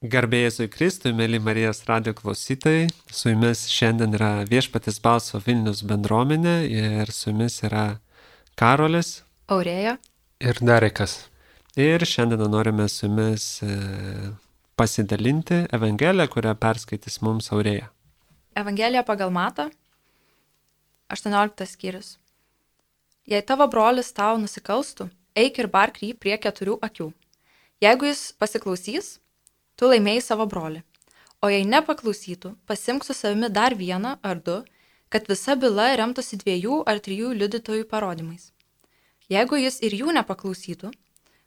Garbė Jėzui Kristui, mėly Marijos radijo klausytojai, su jumis šiandien yra Viešpaties balso Vilnius bendruomenė ir su jumis yra Karolis Aurėja ir Darekas. Ir šiandien norime su jumis pasidalinti Evangeliją, kurią perskaitys mums Aurėja. Evangelija pagal Matą, 18 skyrius. Jei tavo brolis tau nusikalstų, eik ir bark jį prie 4 akių. Jeigu jis pasiklausys, tu laimėjai savo brolį. O jei nepaklausytų, pasimk su savimi dar 1 ar 2, kad visa byla remtųsi 2 ar 3 liudytojų parodymais. Jeigu jis ir jų nepaklausytų,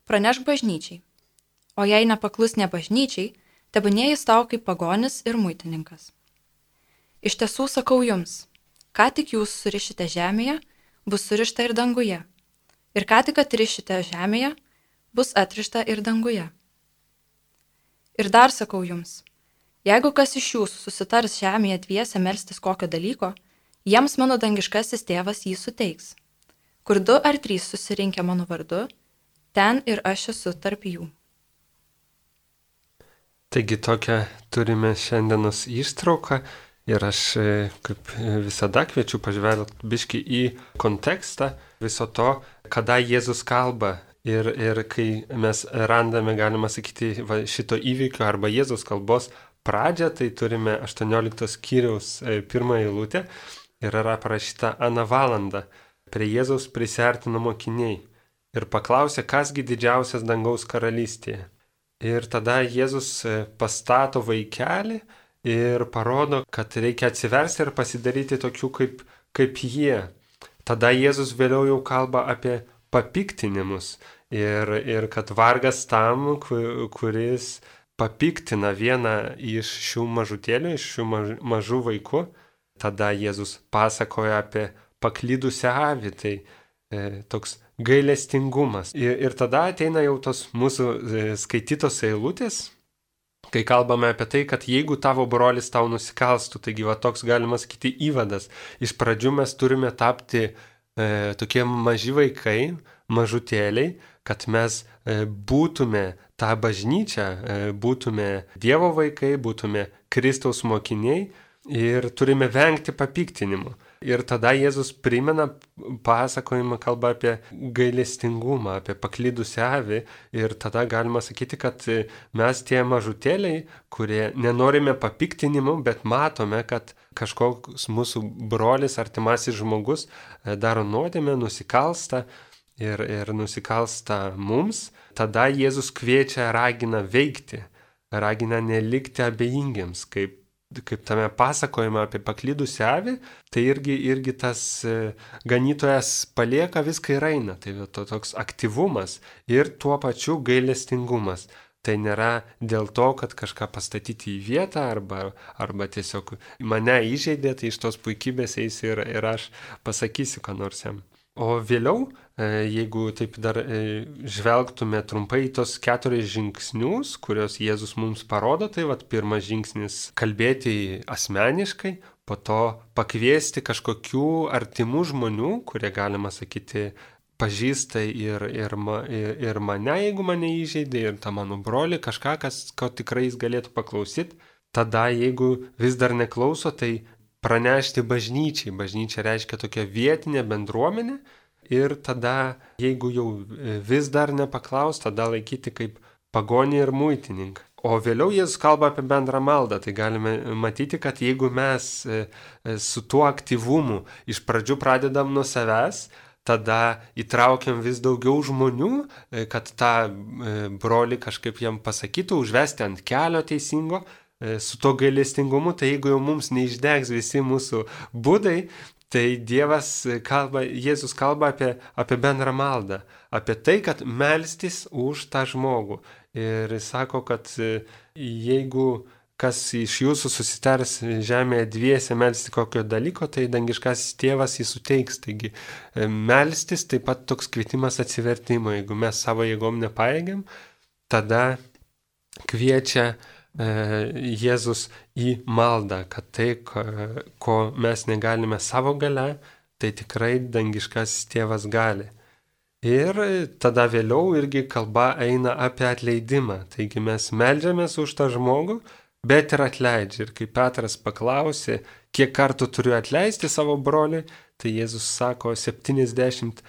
pranešk bažnyčiai. O jei nepaklus ne bažnyčiai, tebūnie jis tau kaip pagonis ir muitininkas. Iš tiesų sakau jums, ką tik jūs surišite žemėje, bus surišta ir danguje. Ir ką tik atrišite žemėje, bus atrišta ir danguje. Ir dar sakau jums, jeigu kas iš jūsų susitars žemėje dviese melstis kokio dalyko, jiems mano dangiškasis tėvas jį suteiks. Kur 2 ar 3 susirinkę mano vardu, ten ir aš esu tarp jų. Taigi tokią turime šiandienos ištrauką ir aš kaip visada kviečiu pažvelgti biškį į kontekstą viso to, kada Jėzus kalba. Ir kai mes randame, galima sakyti, šito įvykio arba Jėzaus kalbos pradžią, tai turime 18 skyriaus 1 eilutę ir yra parašyta aną valandą. Prie Jėzaus prisiartino mokiniai ir paklausė, kasgi didžiausias dangaus karalystėje. Ir tada Jėzus pastato vaikelį ir parodo, kad reikia atsiversti ir pasidaryti tokių kaip jie. Tada Jėzus vėliau jau kalba apie papiktinimus. Ir kad vargas tam, kuris papiktina vieną iš šių mažutėlių, iš šių mažų vaikų. Tada Jėzus pasakoja apie paklydusią avį, tai toks gailestingumas. Ir tada ateina jau tos mūsų skaitytos eilutės, kai kalbame apie tai, kad jeigu tavo brolis tau nusikalstų, taigi va toks galima sakyti įvadas. Iš pradžių mes turime tapti tokie maži vaikai, mažutėliai, kad mes būtume tą bažnyčią, būtume Dievo vaikai, būtume Kristaus mokiniai ir turime vengti papiktinimo. Ir tada Jėzus primena pasakojimą, kalba apie gailestingumą, apie paklydusią avį ir tada galima sakyti, kad mes tie mažutėliai, kurie nenorime papiktinimo, bet matome, kad kažkoks mūsų brolis, artimasis žmogus daro nuodėmę, nusikalsta ir nusikalsta mums, tada Jėzus kviečia, ragina veikti, ragina nelikti abejingiems, kaip tame pasakojime apie paklydusią avį, tai irgi tas ganytojas palieka viską ir eina, tai toks aktyvumas ir tuo pačiu gailestingumas. Tai nėra dėl to, kad kažką pastatyti į vietą arba tiesiog mane įžeidė, tai iš tos puikybės eis ir aš pasakysiu, ką nors jam. O vėliau, jeigu taip dar žvelgtume trumpai į tos 4 žingsnius, kuriuos Jėzus mums parodo, tai pirmas žingsnis - kalbėti asmeniškai, po to pakviesti kažkokių artimų žmonių, kurie, galima sakyti, pažįsta ir mane, jeigu mane įžeidė, ir tą mano brolį, kažką, ko tikrai jis galėtų paklausyti. Tada, jeigu vis dar neklauso, tai pranešti bažnyčiai. Bažnyčia reiškia tokia vietinė bendruomenė ir tada, jeigu jau vis dar nepaklaus, tada laikyti kaip pagonį ir muitininką. O vėliau Jėzus kalba apie bendrą maldą, tai galime matyti, kad jeigu mes su tuo aktyvumu iš pradžių pradedam nuo savęs, tada įtraukiam vis daugiau žmonių, kad tą brolį kažkaip jam pasakytų, užvesti ant kelio teisingo, su to gailestingumu, tai jeigu jau mums neišdegs visi mūsų būdai, tai Jėzus kalba apie bendrą maldą, apie tai, kad melstis už tą žmogų. Ir jis sako, kad jeigu kas iš jūsų susitars žemėje dviese melstis kokio dalyko, tai dangiškasis tėvas jį suteiks. Taigi melstis taip pat toks kvietimas atsivertimo. Jeigu mes savo jėgom nepajėgiam, tada kviečia Jėzus į maldą, kad tai, ko mes negalime savo gale, tai tikrai dangiškasis tėvas gali. Ir tada vėliau irgi kalba eina apie atleidimą. Taigi mes meldžiamės už tą žmogų, bet ir atleidžia. Ir kai Petras paklausė, kiek kartų turiu atleisti savo broliui, tai Jėzus sako 77.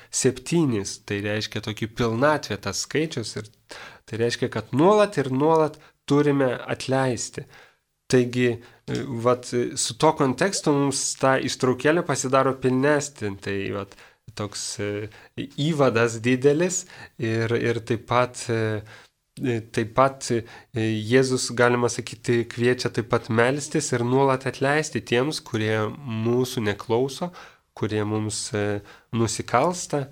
Tai reiškia tokį pilnatvę tas skaičius. Ir tai reiškia, kad nuolat ir nuolat turime atleisti. Taigi, vat, su to kontekstu mums ta ištraukėlė pasidaro pilnesnė. Tai vat, toks įvadas didelis ir taip pat Jėzus, galima sakyti, kviečia taip pat melstis ir nuolat atleisti tiems, kurie mūsų neklauso, kurie mums nusikalsta.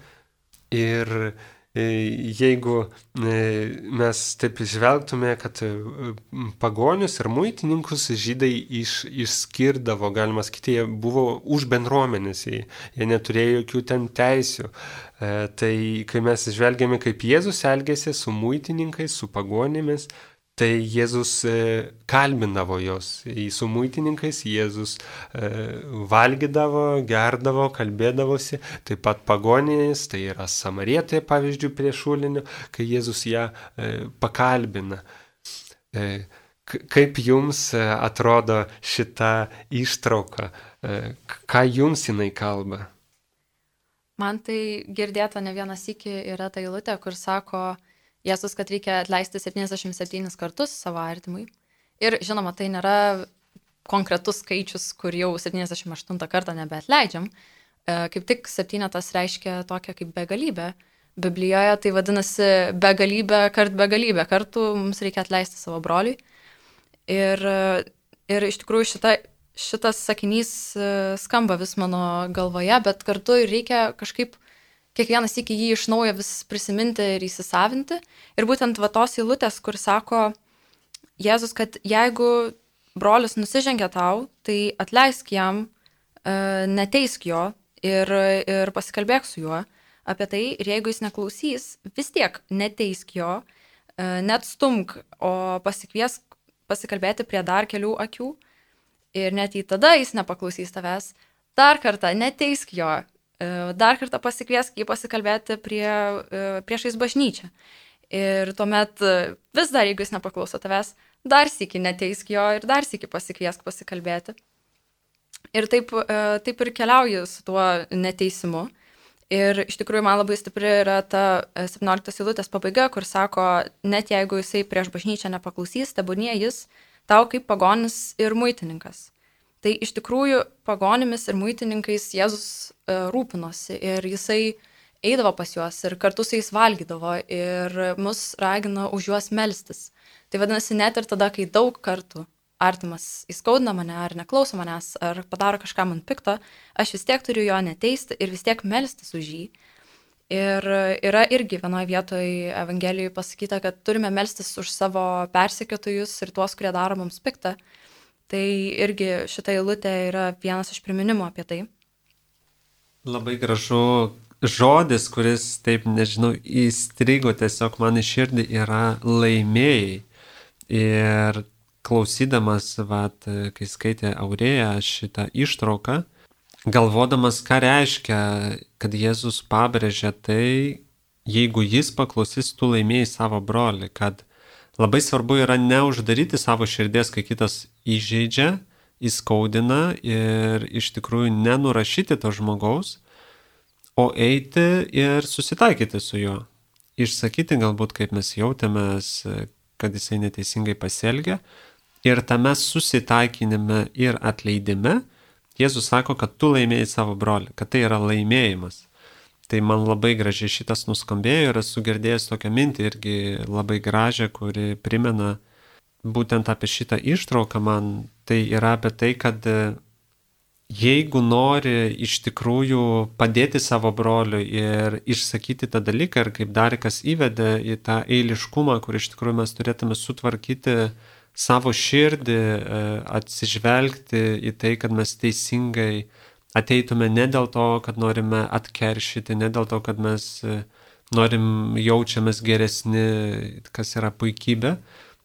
Ir jeigu mes taip žvelgtume, kad pagonius ir muitininkus žydai išskirdavo, galima sakyti, jie buvo už bendruomenės, jie neturėjo jokių ten teisių. Tai kai mes žvelgiame, kaip Jėzus elgėsi su muitininkais, su pagonimis, tai Jėzus kalbindavo jos. Su muitininkais Jėzus valgydavo, gerdavo, kalbėdavosi. Taip pat pagonys, tai yra Samarietė, pavyzdžiui, prie šulinio, kai Jėzus ją pakalbina. Kaip jums atrodo šita ištrauka? Ką jums jinai kalba? Man tai girdėta ne vieną sykį yra ta eilutė, kur sako Jėzus, kad reikia atleisti 77 kartus savo artimui. Ir žinoma, tai nėra konkretus skaičius, kur jau 78 kartą nebeatleidžiam. Kaip tik 7 reiškia tokia kaip begalybė. Biblijoje tai vadinasi begalybė kartų mums reikia atleisti savo broliui. Ir iš tikrųjų šitas sakinys skamba vis mano galvoje, bet kartu reikia kažkaip kiekvienas iki jį iš naujo vis prisiminti ir įsisavinti. Ir būtent va tos eilutės, kur sako Jėzus, kad jeigu brolis nusižengia tau, tai atleisk jam, neteisk jo ir pasikalbėk su juo apie tai. Ir jeigu jis neklausys, vis tiek neteisk jo, neatstumk, o pasikviesk pasikalbėti prie dar kelių akių. Ir net į tada jis nepaklausys tavęs, dar kartą neteisk jo. Dar kartą pasikviesk jį pasikalbėti priešais bažnyčią. Ir tuomet vis dar, jeigu jis nepaklauso tavęs, dar sykį neteisk jo ir dar sykį pasikviesk pasikalbėti. Ir taip ir keliauju su tuo neteisimu. Ir iš tikrųjų man labai stipri yra ta 17 eilutės pabaiga, kur sako, net jeigu jisai prieš bažnyčią nepaklausys, tebūnie jis tau kaip pagonis ir muitininkas. Tai iš tikrųjų pagonimis ir muitininkais Jėzus rūpinosi ir jisai eidavo pas juos ir kartu su jais valgydavo ir mus ragino už juos melstis. Tai vadinasi, net ir tada, kai daug kartų artimas įskaudina mane ar neklauso manęs ar padaro kažką man pikto, aš vis tiek turiu jo neteisti ir vis tiek melstis už jį. Ir yra irgi vienoje vietoje Evangelijoje pasakyta, kad turime melstis už savo persekiotojus ir tuos, kurie daro mums piktą. Tai irgi šita eilutė yra vienas iš priminimų apie tai. Labai gražu žodis, kuris, taip nežinau, įstrigo tiesiog man į širdį, yra laimėjai. Ir klausydamas, kai skaitė Aurėja šitą ištrauką, galvodamas, ką reiškia, kad Jėzus pabrėžia tai, jeigu jis paklausys, tu laimėjai savo brolį, kad labai svarbu yra neuždaryti savo širdies, kai kitas įžeidžia, įskaudina ir iš tikrųjų nenurašyti to žmogaus, o eiti ir susitaikyti su juo. Išsakyti galbūt, kaip mes jautėmės, kad jisai neteisingai pasielgia. Ir tame susitaikinime ir atleidime Jėzus sako, kad tu laimėjai savo brolį, kad tai yra laimėjimas. Tai man labai gražiai šitas nuskambėjo ir esu girdėjęs tokią mintį irgi labai gražią, kuri primena būtent apie šitą ištrauką man. Tai yra apie tai, kad jeigu nori iš tikrųjų padėti savo broliui ir išsakyti tą dalyką, ir kaip Darikas įvedė į tą eiliškumą, kur iš tikrųjų mes turėtume sutvarkyti savo širdį, atsižvelgti į tai, kad mes teisingai ateitume ne dėl to, kad norime atkeršyti, ne dėl to, kad mes jaučiamės geresni, kas yra puikybė.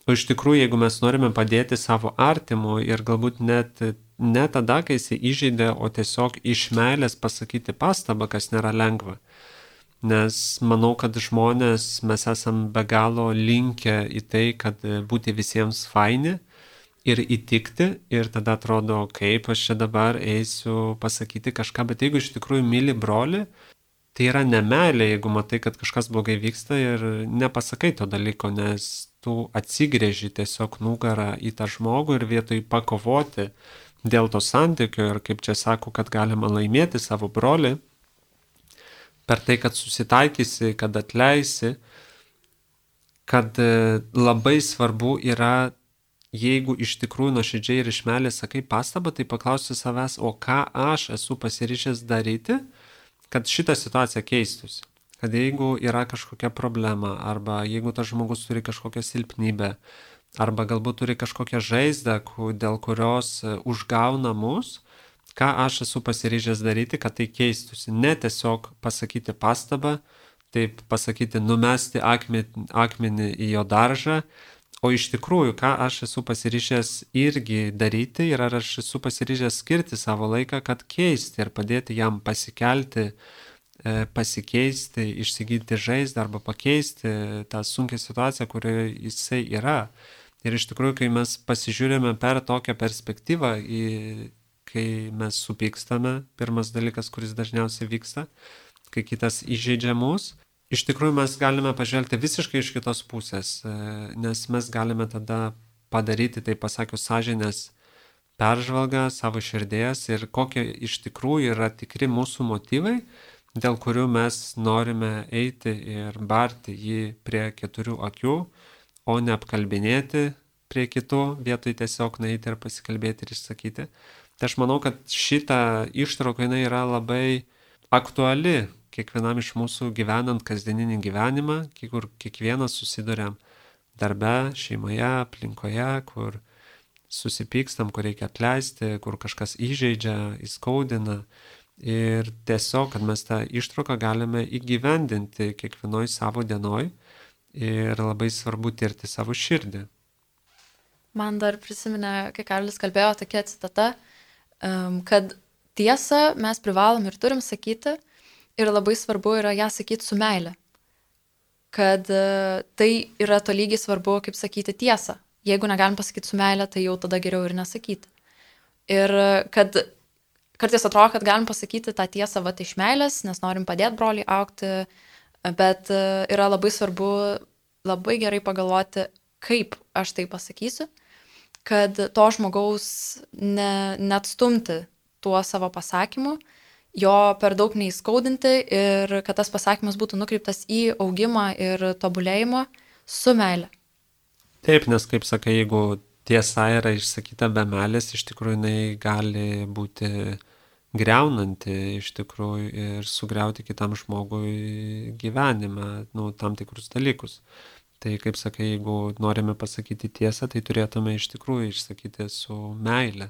O iš tikrųjų, jeigu mes norime padėti savo artimui ir galbūt net ne tada, kai jis įžeidė, o tiesiog iš meilės pasakyti pastabą, kas nėra lengva. Nes manau, kad žmonės mes esam be galo linkę į tai, kad būti visiems faini ir įtikti ir tada atrodo, kaip aš čia dabar eisiu pasakyti kažką, bet jeigu iš tikrųjų myli brolį, tai yra nemeilė, jeigu matai, kad kažkas blogai vyksta ir nepasakai to dalyko, nes tu atsigrėži tiesiog nugarą į tą žmogų ir vietoj pakovoti dėl to santykio ir kaip čia sako, kad galima laimėti savo brolį, per tai, kad susitaikysi, kad atleisi, kad labai svarbu yra, jeigu iš tikrųjų nuoširdžiai ir iš meilės sakai pastabą, tai paklausi savęs, o ką aš esu pasiryžęs daryti, kad šitą situaciją keistųsi. Kad jeigu yra kažkokia problema, arba jeigu tas žmogus turi kažkokią silpnybę, arba galbūt turi kažkokią žaizdą, dėl kurios užgauna mus, ką aš esu pasiryžęs daryti, kad tai keistųsi. Ne tiesiog pasakyti pastabą, taip pasakyti numesti akmenį į jo daržą, o iš tikrųjų, ką aš esu pasiryžęs irgi daryti ir ar aš esu pasiryžęs skirti savo laiką, kad keisti ir padėti jam pasikelti, pasikeisti, išsigydyti žaizdą arba pakeisti tą sunkią situaciją, kurioje jisai yra. Ir iš tikrųjų, kai mes pasižiūrime per tokią perspektyvą, kai mes supykstame, pirmas dalykas, kuris dažniausiai vyksta, kai kitas įžeidžia mus, iš tikrųjų mes galime pažvelgti visiškai iš kitos pusės, nes mes galime tada padaryti, tai pasakius, sąžinės peržvalgą savo širdies ir kokie iš tikrųjų yra tikri mūsų motyvai, dėl kurių mes norime eiti ir barti jį prie 4 akių, o ne apkalbinėti prie kitų, vietoj tiesiog nueiti ir pasikalbėti ir išsakyti. Tai aš manau, kad šita ištrauka jinai yra labai aktuali kiekvienam iš mūsų gyvenant kasdieninį gyvenimą, kur kiekvienas susiduriam darbe, šeimoje, aplinkoje, kur susipykstam, kur reikia atleisti, kur kažkas įžeidžia, įskaudina. Ir tiesiog, kad mes tą ištrauką galime įgyvendinti kiekvienoj savo dienoj ir labai svarbu tirti savo širdį. Man dar prisiminė, kai Karolis kalbėjo, tokia citata, kad tiesą mes privalom ir turim sakyti ir labai svarbu yra ją sakyti su meile. Kad tai yra tolygiai svarbu, kaip sakyti tiesą. Jeigu negalim pasakyti su meile, tai jau tada geriau ir nesakyti. Ir kad kartais atrodo, kad galim pasakyti tą tiesą iš meilės, nes norim padėti broliui augti, bet yra labai svarbu labai gerai pagalvoti, kaip aš tai pasakysiu, kad to žmogaus neatstumti tuo savo pasakymu, jo per daug neįskaudinti ir kad tas pasakymas būtų nukreiptas į augimą ir tobulėjimą su meile. Taip, nes kaip sakai, jeigu tiesa yra išsakyta be meilės, iš tikrųjų jinai gali būti greunanti iš tikrųjų ir sugriauti kitam žmogui gyvenimą, tam tikrus dalykus. Tai kaip sakai, jeigu norime pasakyti tiesą, tai turėtume iš tikrųjų išsakyti su meile.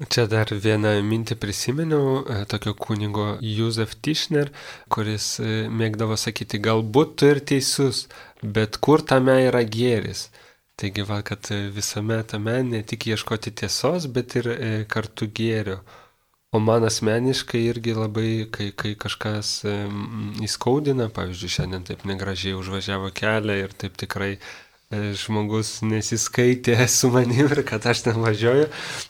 Čia dar vieną mintį prisiminiau, tokio kunigo Józef Tischner, kuris mėgdavo sakyti, galbūt tu ir teisus, bet kur tame yra gėris. Taigi, kad visame tame ne tik ieškoti tiesos, bet ir kartu gėrio. O man asmeniškai irgi labai, kai kažkas įskaudina, pavyzdžiui, šiandien taip negražiai užvažiavo kelią ir taip tikrai žmogus nesiskaitė su manim ir kad aš ten važiuoju,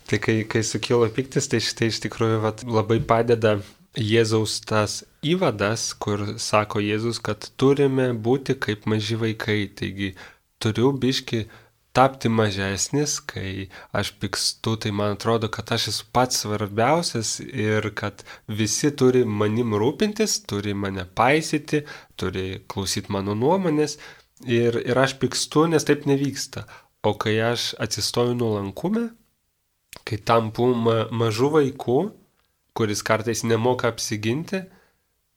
tai kai sukilo piktis, tai šitai iš tikrųjų labai padeda Jėzaus tas įvadas, kur sako Jėzus, kad turime būti kaip maži vaikai, taigi turiu biški tapti mažesnis, kai aš pykstu, tai man atrodo, kad aš esu pats svarbiausias ir kad visi turi manim rūpintis, turi mane paisyti, turi klausyti mano nuomonės ir aš pykstu, nes taip nevyksta. O kai aš atsistoju nuolankume, kai tampu mažu vaiku, kuris kartais nemoka apsiginti,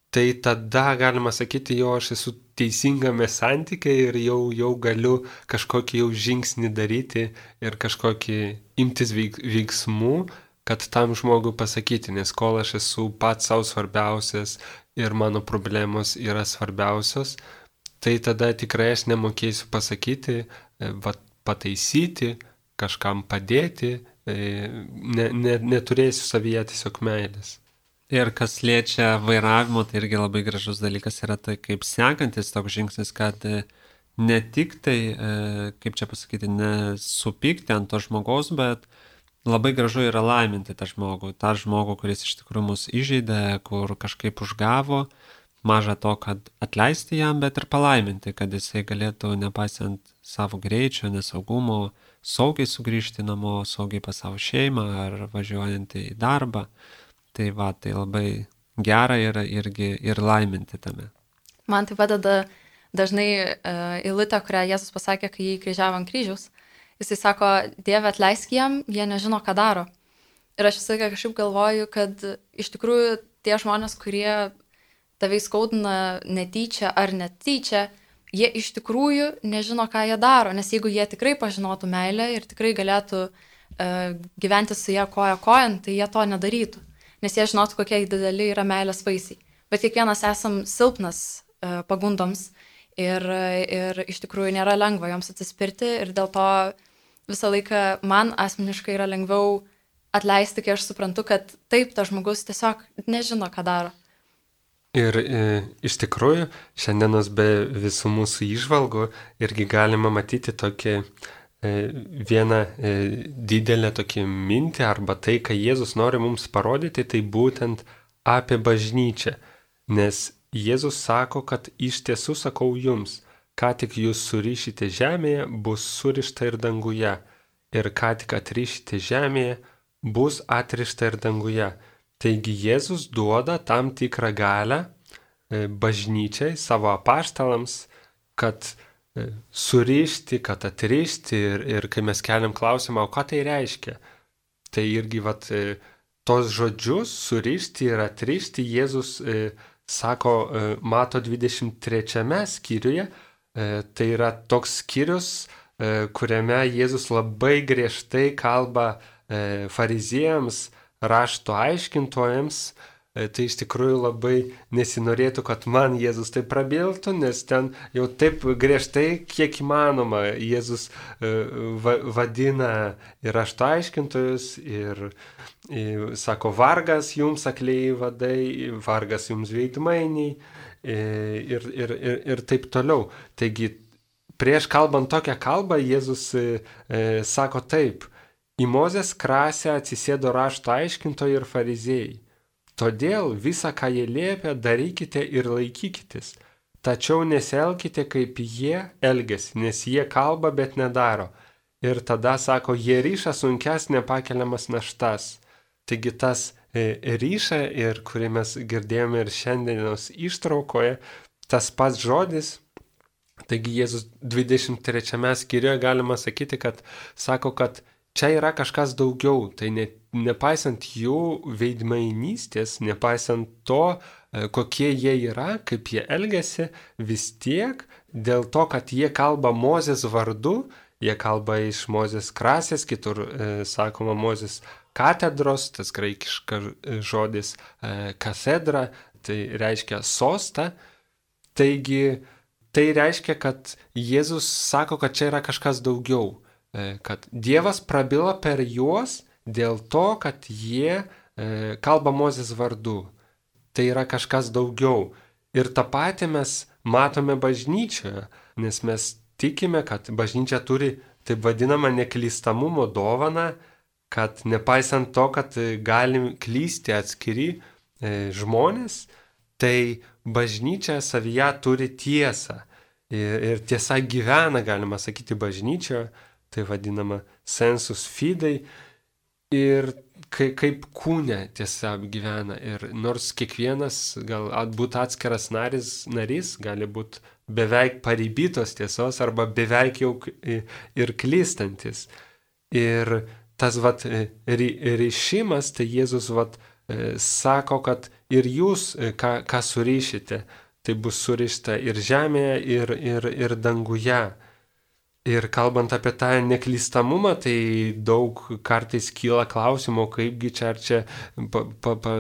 tai tada galima sakyti, jo aš esu teisingame santykiai ir jau galiu kažkokį jau žingsnį daryti ir kažkokį imtis veiksmų, kad tam žmogui pasakyti, nes kol aš esu pats savo svarbiausias ir mano problemos yra svarbiausios, tai tada tikrai aš nemokėsiu pasakyti, pataisyti, kažkam padėti, neturėsiu savyje tiesiog meilės. Ir kas liečia vairavimo, tai irgi labai gražus dalykas yra tai, kaip sekantis toks žingsnis, kad ne tik tai, kaip čia pasakyti, nesupykti ant to žmogaus, bet labai gražu yra laiminti tą žmogų, kuris iš tikrųjų mus įžeidė, kur kažkaip užgavo, maža to, kad atleisti jam, bet ir palaiminti, kad jisai galėtų, nepaisant savo greičio, nesaugumo, saugiai sugrįžti namo, saugiai pas savo šeimą ar važiuojant į darbą. Tai va, tai labai gera yra irgi ir laiminti tame. Man tai padeda dažnai eilutė, kurią Jėzus pasakė, kai jį kryžiavo ant kryžiaus. Jisai sako, Dieve, atleisk jiem, jie nežino, ką daro. Ir aš visą laiką kažkaip galvoju, kad iš tikrųjų tie žmonės, kurie tave įskaudina netyčia ar netyčia, jie iš tikrųjų nežino, ką jie daro. Nes jeigu jie tikrai pažinotų meilę ir tikrai galėtų gyventi su ją koja kojan, tai jie to nedarytų. Nes jie žinotų, kokie dideli yra meilės vaisiai. Bet kiekvienas esam silpnas pagundoms ir iš tikrųjų nėra lengva joms atsispirti ir dėl to visą laiką man asmeniškai yra lengviau atleisti, kai aš suprantu, kad taip, tas žmogus tiesiog nežino, ką daro. Ir iš tikrųjų, šiandienos be visų mūsų įžvalgų irgi galima matyti tokį vieną didelę tokį mintį arba tai, ką Jėzus nori mums parodyti, tai būtent apie bažnyčią. Nes Jėzus sako, kad iš tiesų sakau jums, ką tik jūs surišite žemėje, bus surišta ir danguje. Ir ką tik atrišite žemėje, bus atrišta ir danguje. Taigi Jėzus duoda tam tikrą galią bažnyčiai, savo apaštalams, kad surišti, kad atrišti ir kai mes keliam klausimą, o ką tai reiškia? Tai irgi tos žodžius surišti ir atrišti Jėzus sako Mato 23 skyriuje. Tai yra toks skyrius, kuriame Jėzus labai griežtai kalba fariziejams, rašto aiškintojams. Tai iš tikrųjų labai nesinorėtų, kad man Jėzus tai prabiltų, nes ten jau taip griežtai, kiek įmanoma, Jėzus vadina ir rašto aiškintojus ir sako, vargas jums akliai vadai, vargas jums veidmainiai ir taip toliau. Taigi, prieš kalbant tokią kalbą, Jėzus sako taip, į Mozės krasę atsisėdo rašto aiškintojai ir fariziejai. Todėl visą, ką jie liepia, darykite ir laikykitės. Tačiau nesielkite, kaip jie elgiasi, nes jie kalba, bet nedaro. Ir tada sako, jie ryša sunkes nepakeliamas naštas. Taigi tas ryša, ir kurį mes girdėjome ir šiandienos ištraukoje, tas pats žodis. Taigi Jėzus 23 skyriuje galima sakyti, kad sako, kad čia yra kažkas daugiau, tai nepaisant jų veidmainystės, nepaisant to, kokie jie yra, kaip jie elgiasi, vis tiek dėl to, kad jie kalba Mozės vardu, jie kalba iš Mozės krasės, kitur sakoma Mozės katedros, tas graikiškas žodis katedra, tai reiškia sostą. Taigi tai reiškia, kad Jėzus sako, kad čia yra kažkas daugiau. Kad Dievas prabilo per juos dėl to, kad jie kalba Mozės vardu. Tai yra kažkas daugiau. Ir tą patį mes matome bažnyčioje, nes mes tikime, kad bažnyčia turi taip vadinamą neklystamumo dovaną, kad nepaisant to, kad gali klysti atskiri žmonės, tai bažnyčia savyje turi tiesą. Ir tiesa gyvena, galima sakyti, bažnyčioje. Tai vadinama sensus fidei ir kaip kūne tiesa gyvena. Ir nors kiekvienas galbūt atskiras narys gali būti beveik paribytos tiesos arba beveik jau ir klystantis. Ir tas ryšimas, tai Jėzus sako, kad ir jūs, ką surišite, tai bus surišta ir žemėje, ir danguje. Ir kalbant apie tą neklystamumą, tai daug kartais kyla klausimo, kaipgi čia ar čia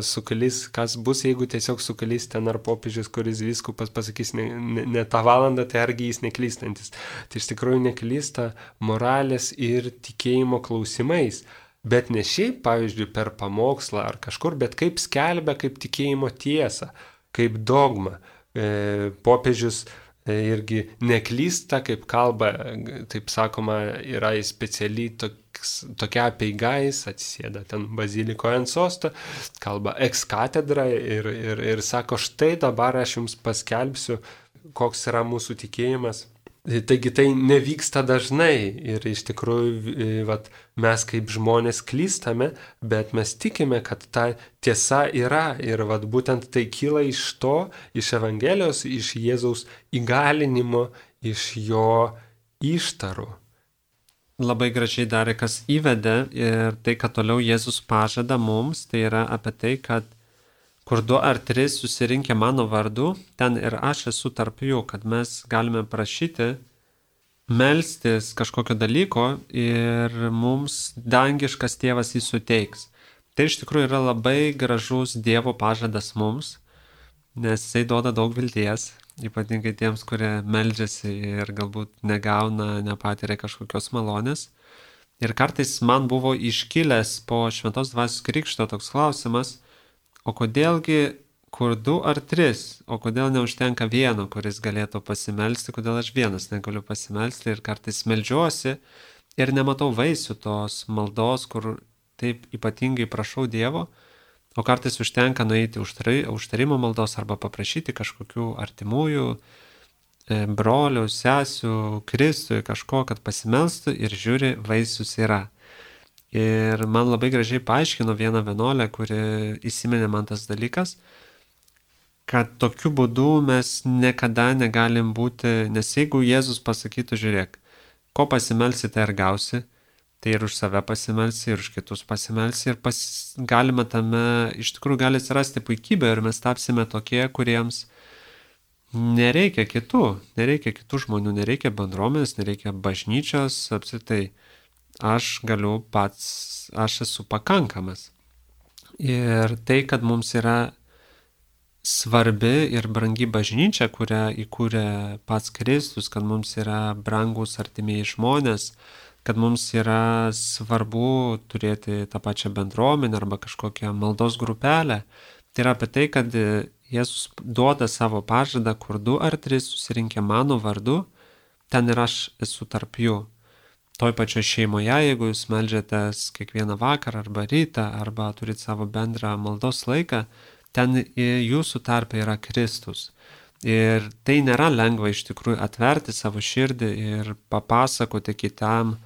sukalys, kas bus, jeigu tiesiog sukalys ten ar popiežius, kuris vyskupas pasakys ne tą valandą, tai argi jis neklystantis. Tai iš tikrųjų neklysta moralės ir tikėjimo klausimais. bet ne šiaip, pavyzdžiui, per pamokslą ar kažkur, bet kaip skelbia, kaip tikėjimo tiesą, kaip dogma. Popiežius irgi neklysta, kaip kalba, taip sakoma, yra specialiai tokia apeiga, jis atsisėda ten bazilikoje ant sosto, kalba ex katedra ir sako, štai dabar aš jums paskelbsiu, koks yra mūsų tikėjimas. Taigi tai nevyksta dažnai ir iš tikrųjų mes kaip žmonės klystame, bet mes tikime, kad ta tiesa yra ir būtent tai kyla iš to, iš Evangelijos, iš Jėzaus įgalinimo, iš jo ištarų. Labai gražiai darė, kas įvedė ir tai, kad toliau Jėzus pažada mums, tai yra apie tai, kad kur 2 ar 3 susirinkę mano vardu, ten ir aš esu tarp jų, kad mes galime prašyti, melstis kažkokio dalyko ir mums dangiškas tėvas jį suteiks. Tai iš tikrųjų yra labai gražus Dievo pažadas mums, nes jisai duoda daug vilties, ypatingai tiems, kurie meldžiasi ir galbūt negauna, nepatiria kažkokios malonės. Ir kartais man buvo iškilęs po Šventos Dvasios krikšto toks klausimas, o kodėlgi kur 2 ar 3, o kodėl neužtenka vieno, kuris galėtų pasimelsti, kodėl aš vienas negaliu pasimelsti ir kartais meldžiuosi ir nematau vaisių tos maldos, kur taip ypatingai prašau Dievo, o kartais užtenka nueiti užtarimo maldos arba paprašyti kažkokių artimųjų, brolių, sesių, Kristui kažko, kad pasimelstų ir žiūri, vaisius yra. Ir man labai gražiai paaiškino viena vienuolė, kuri įsiminė man tas dalykas, kad tokiu būdu mes niekada negalim būti, nes jeigu Jėzus pasakytų, žiūrėk, ko pasimelsi, tai ir gausi, tai ir už save pasimelsi, ir už kitus pasimelsi, ir galima tame, iš tikrųjų gali atsirasti puikybė ir mes tapsime tokie, kuriems nereikia kitų žmonių, nereikia bendruomenės, nereikia bažnyčios, apskritai. Aš galiu pats, aš esu pakankamas. Ir tai, kad mums yra svarbi ir brangi bažnyčia, kurią įkūrė pats Kristus, kad mums yra brangus artimieji žmonės, kad mums yra svarbu turėti tą pačią bendruomenę arba kažkokią maldos grupelę. Tai yra apie tai, kad Jėzus duoda savo pažadą, kur 2 ar 3 susirinkę mano vardu, ten ir aš esu tarp jų. Toj pačioj šeimoje, jeigu jūs meldžiatės kiekvieną vakarą arba rytą, arba turit savo bendrą maldos laiką, ten jūsų tarpe yra Kristus. Ir tai nėra lengva iš tikrųjų atverti savo širdį ir papasakoti kitam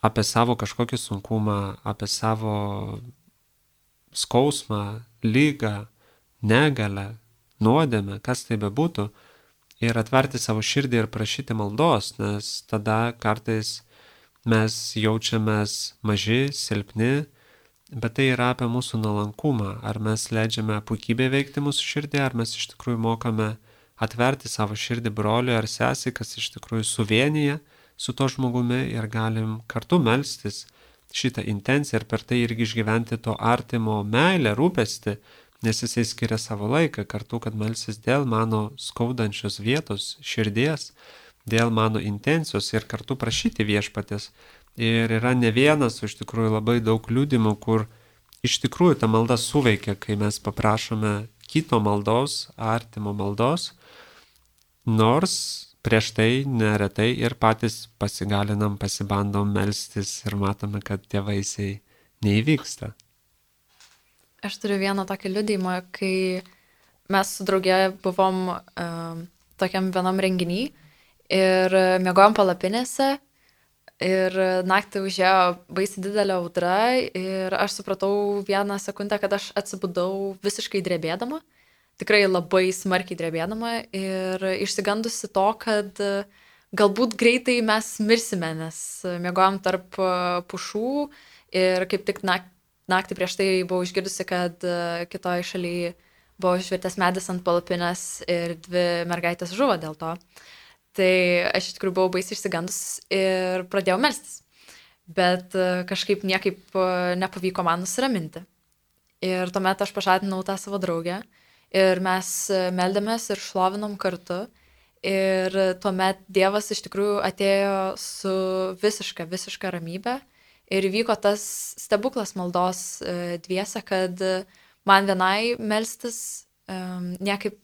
apie savo kažkokį sunkumą, apie savo skausmą, lygą, negalę, nuodėmę, kas tai bebūtų, ir atverti savo širdį ir prašyti maldos, nes tada kartais mes jaučiamės maži, silpni, bet tai yra apie mūsų nuolankumą. Ar mes leidžiame puikybę veikti mūsų širdį, ar mes iš tikrųjų mokame atverti savo širdį broliui ar sesei, kas iš tikrųjų suvienyje su to žmogumi ir galim kartu melstis šitą intenciją ir per tai irgi išgyventi to artimo meilę, rūpestį, nes jisai skiria savo laiką kartu, kad melsis dėl mano skaudančios vietos, širdies, dėl mano intencijos ir kartu prašyti viešpatės. Ir yra ne vienas, o iš tikrųjų labai daug liudimų, kur iš tikrųjų ta malda suveikia, kai mes paprašome kito maldos, artimo maldos, nors prieš tai neretai ir patys pasigalinam, pasibandom melstis ir matome, kad tie vaisiai neįvyksta. Aš turiu vieną tokį liudijimą, kai mes su draugė buvom tokiam vienam renginį ir miegojom palapinėse ir naktį užėjo baisiai didelė audra ir aš supratau vieną sekundę, kad aš atsibudau visiškai drebėdama, tikrai labai smarkiai drebėdama ir išsigandusi to, kad galbūt greitai mes mirsime, nes miegojom tarp pušų ir kaip tik naktį prieš tai buvau išgirdusi, kad kitoje šalyje buvo išvirtęs medis ant palapinės ir 2 mergaitės žuvo dėl to. Tai aš iš tikrųjų buvau baisiai išsigandus ir pradėjau melstis. Bet kažkaip niekaip nepavyko man nusiraminti. Ir tuomet aš pažadinau tą savo draugę ir mes meldėmės ir šlovinom kartu. Ir tuomet Dievas iš tikrųjų atėjo su visiška ramybė Ir vyko tas stebuklas maldos dviese, kad man vienai melstis niekaip,